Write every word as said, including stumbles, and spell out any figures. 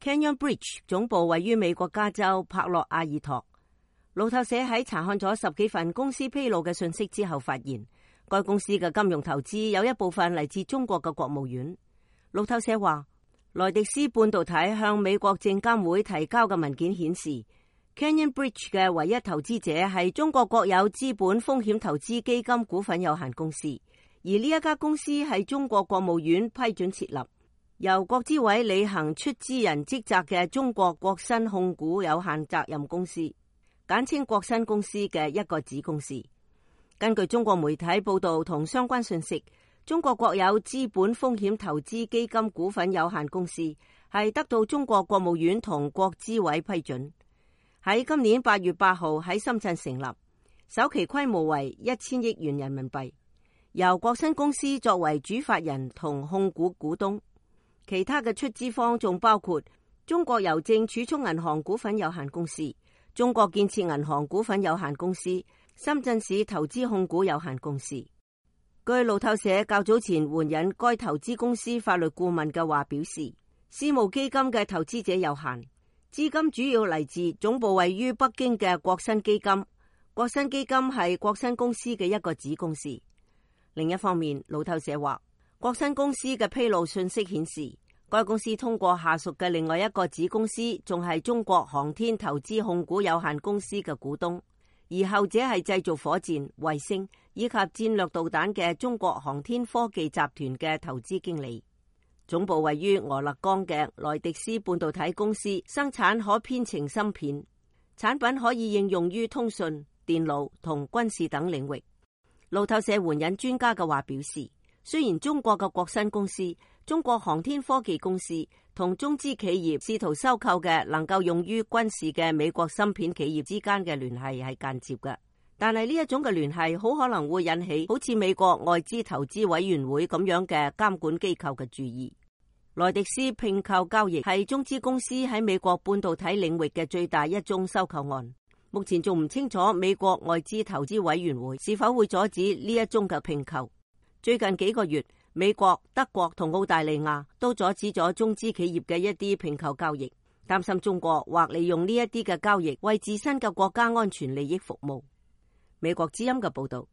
Canyon Bridge 總部位於美國加州帕洛阿爾托。路透社喺查看咗十幾份公司披露嘅信息之後，發現該公司嘅金融投資有一部分嚟自中國嘅國務院。路透社話，萊迪斯半導體向美國證監會提交嘅文件顯示， Canyon Bridge 嘅唯一投資者係中國國有資本風險投資基金股份有限公司，而呢一家公司係中國國務院批准設立，由國資委履行出資人職責嘅中國國新控股有限責任公司，簡稱國新公司嘅一個子公司。根據中國媒體報道同相關信息，中國國有資本風險投資基金股份有限公司係得到中國國務院同國資委批准，喺今年八月八號喺深圳成立，首期規模為一千億元人民幣，由國新公司作為主法人同控股股東。其他嘅出資方仲包括中國郵政儲蓄銀行股份有限公司、中國建設銀行股份有限公司、深圳市投資控股有限公司。據路透社較早前援引該投資公司法律顧問嘅話表示，私募基金嘅投資者有限，資金主要嚟自總部位於北京嘅國新基金。國新基金係國新公司嘅一個子公司。另一方面，路透社話，國新公司嘅披露信息顯示，該公司通過下屬嘅另外一個子公司，仲係中國航天投資控股有限公司嘅股東，而後者係製造火箭、衛星以及戰略導彈嘅中國航天科技集團嘅投資經理。總部位於俄勒岡嘅萊迪斯半導體公司生產可編程芯片，產品可以應用於通訊、電腦同軍事等領域。路透社援引專家嘅話表示，雖然中國嘅國新公司、中國航天科技公司同中資企業試圖收購嘅能夠用於軍事嘅美國芯片企業之間嘅聯繫係間接嘅，但係呢一種嘅聯繫好可能會引起好似美國外資投資委員會咁樣嘅監管機構嘅注意。萊迪斯併購交易係中資公司喺美國半導體領域嘅最大一宗收購案，目前仲唔清楚美國外資投資委員會是否會阻止呢一宗嘅併購。最近幾個月，美國、德國同澳大利亞都阻止咗中資企業嘅一啲併購交易，擔心中國或利用呢一啲嘅交易為自身嘅國家安全利益服務。美國之音嘅報道。